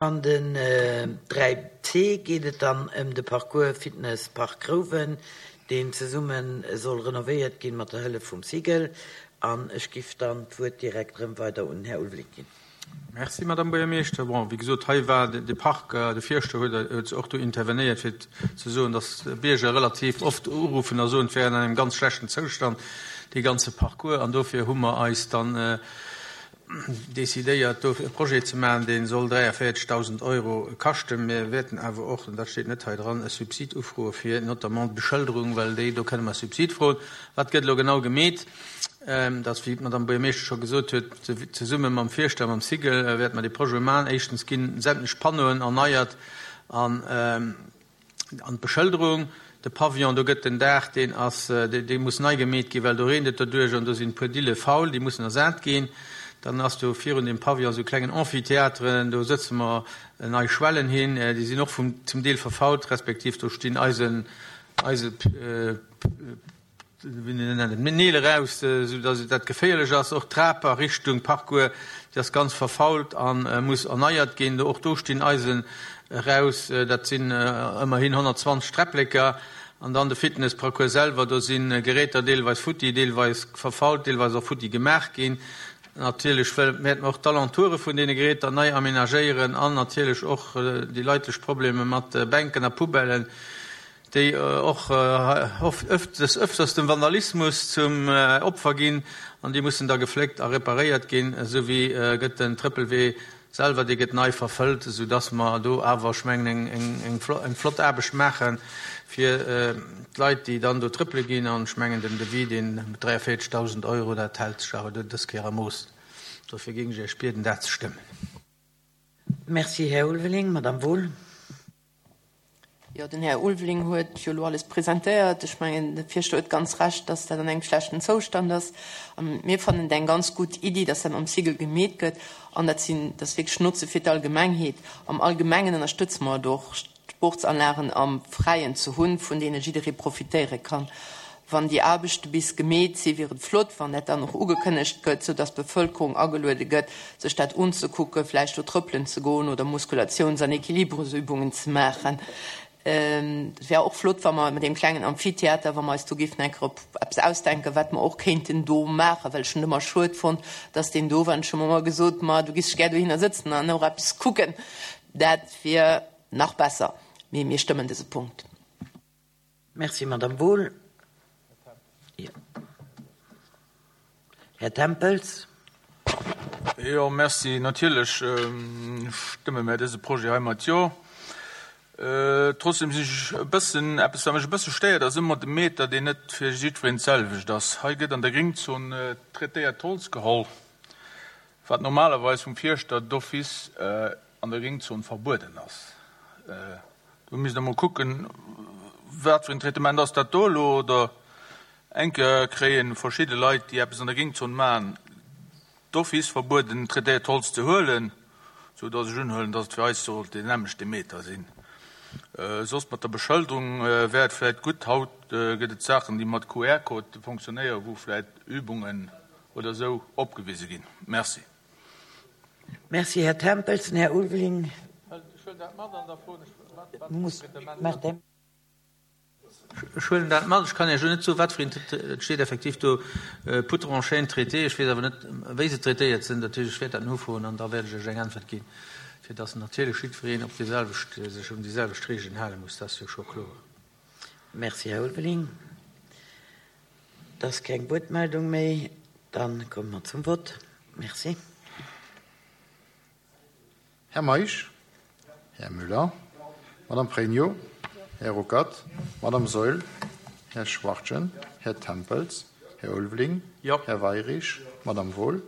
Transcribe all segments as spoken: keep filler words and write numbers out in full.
An den dräi C geet et dann ëm de Parcours Fitness Park Rouwen, deen zesumme soll renovéiert ginn mat der Hëllef vum SIGEL. An ech giff dann d'Wuert direkt erëm weider un den Här Ulveling ginn. Merci, Madame Buergermeeschter. Bon, wéi gesot, hei war de Park, de Fierschter huet huet och do intervenéiert, fir ze soen, dass d'Bierger relativ oft uruffen a soen, et wär an engem ganz schlechten Zoustand, dee ganze Parcours. An dofir hu mer eis dann decidéiert, do e Projet ze maachen, dee soll dräiavéierzegdausend Euro kaschten. Mir wäerten awer och, an dat steet net hei dran, e Subsid ufroe fir notamment d'Beschëlderung, well déi, do kënne mer e Subsid froen. Wat gëtt elo genau gemeet? Dat, wéi d'Madame Buergermeeschter scho gesot huet, zesumme mam Fierschter a mam SIGEL wäerte mer dee Projet maachen. Éischtens gi sämtlech Panneauen erneiert an an d'Beschëlderung. De Pavillon, do gëtt den Daach, deen ass, dee muss nei gemeet ginn, well do reent et doduerch an do sinn e puer Dille faul, déi mussen ersat ginn. Dann ass do virun dem Pavillon esou e klengen Amphithéâtre, do sëtze mer nei Schwellen hin, déi sinn och vum, zum Deel verfault, respektiv do stinn Eisen, Eise, wéi nennt een dat, Neel eraus, esou datt dat geféierlech ass. Och d'Trap a Richtung Parcours, déi ass ganz verfault a muss erneiert ginn. Och do stinn Eisen eraus, dat sinn ëmmerhin honnertzwanzeg Träppleker. An dann de Fitnessparcours selwer, do si Geräter deelweis futti, deelweis verfault, deelweis och futti gemaach ginn. Natierlech wäerte mer och d'Alentoure vun deene Geräter nei amenagéieren an natierlech och déi leitlech Problemer mat Bänken a Poubellen, déi och des Öfters dem Vandalismus zum Opfer ginn an déi mussen da gefléckt a reparéiert ginn. Esou wéi gëtt den Trëppelwee selwer, dee gëtt nei verfëllt, esou dass mer do awer, ech mengen, eng flott Aarbecht maache fir d'Leit, déi dann do trëppele ginn. An ech mengen, den Devis, deen dräiavéierzegdausend Euro, dat hält sech awer dës Kéier a Mooss. Dofir géing ech Iech bieden, dat ze stëmmen. Merci, Här Ulveling. Madame Wohl. Jo, den Här Ulveling huet jo elo alles presentéiert. Ech mengen, de Fierschter huet ganz Recht, dass dat an engem schlechten Zoustand ass. A mir fannen et eng ganz gutt Iddi, dass dat mam SIGEL gemeet gëtt. An dat sinn, dat ass wierklech Notze fir d'Allgemengheet. Am Allgemengen ënnerstëtze mer et och, Sportsanlagen am Fräien ze hunn, vun deene jidderee profitéiere kann. Wann déi Aarbechte bis gemeet sinn, wier et flott, wann dat dann och ugekënnegt gëtt, sou dass d'Bevëlkerung ageluede gëtt, sech dat unzekucken, vläicht do trëppelen ze goen oder Muskulatiouns an Equilibresübungen ze maachen. Et wär och flott, wa mer mat deem klengen Amphitheater, wa mer eis do géifen eng Kéier eppes ausdenken, wat mer och kéinten do maachen, well ech hunn et ëmmer schued fonnt, dass deen do war. An ech hu mer ëmmer gesot, ma du giss dech gär dohinner sëtzen an och eppes kucken. Dat wier nach besser. Mee mir stëmmen dëse Punkt. Merci, Madame Wohl. Här Tempels. Jo, merci. Natierlech stëmme mär dëse Projet hei mat Jo. Trotzdem sinn ech e bëssen, eppes wat mech e bësse stéiert, ass ëmmer de Meter, deen net fir jiddwereen d'selwecht ass. Hei gëtt an der Gringzon traitéiert Holz geholl, wat normalerweis vum Fierschter d'office an der Gringzon verbueden ass. Do misst Der mol kucken, wat fir en Traitement ass dat do elo. Oder eng Kéier kréie verschidde Leit, déi eppes an der Gringzon maachen, d'office verbueden, traitéiert Holz ze huelen, sou dass ech unhuelen, dass et fir eis sollt deen nämmlechte Meter sinn. Soss mat der Beschëlderung wär et vläit gutt, haut gëtt et Saachen, déi mat Q R-Code fonctionnéieren, wou vläit Übungen oder esou opgewise ginn. Merci. Merci, Här Tempels. Den Här Ulveling muss. Ech huelen dat mat. Ech kann Iech elo net soen, wat fir een, et steet effektiv do Poutres en chêne traité. Ech weess awer net, wéi se traitéiert sinn. Dat heescht, ech wäert dat nofroen an da wäert ech Iech eng Äntwert ginn, fir dass natierlech jiddwereen op déi selwecht, sech un déi selwecht Regeln hale muss. Dat ass jo scho kloer. Merci, Här Ulveling. Et ass keng Wuertmeldung méi. Da komme mer zum Vott. Merci. Här Meisch, Här Müller, Madame Pregno, Här Ruckert, Madame Saeul, Här Schwachtgen, Här Tempels, Här Ulveling, Här Weyrich, Madame Wohl,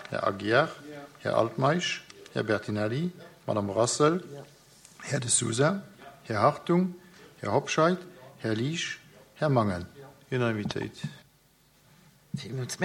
Här Aguiar, Här Altmeisch, Här Bertinelli, Madame Rassel, Här De Sousa, Här Hartung, Här Hobscheit, Här Liesch, Här Mangen. Unanimitéit. Villmools